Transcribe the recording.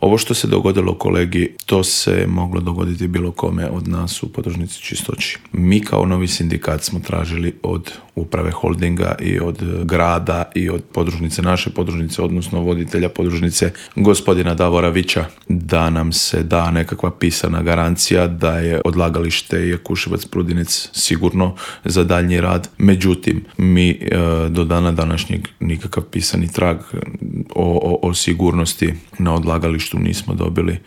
Ovo što se dogodilo kolegi, to se moglo dogoditi bilo kome od nas u podružnici Čistoći. Mi kao novi sindikat smo tražili od uprave holdinga i od grada i od podružnice, naše podružnice, odnosno voditelja podružnice gospodina Davora Vića, da nam se da nekakva pisana garancija da je odlagalište Jakuševac Prudinec sigurno za daljnji rad. Međutim, mi do dana današnjeg nikakav pisani trag o sigurnosti na odlagalištu nismo dobili.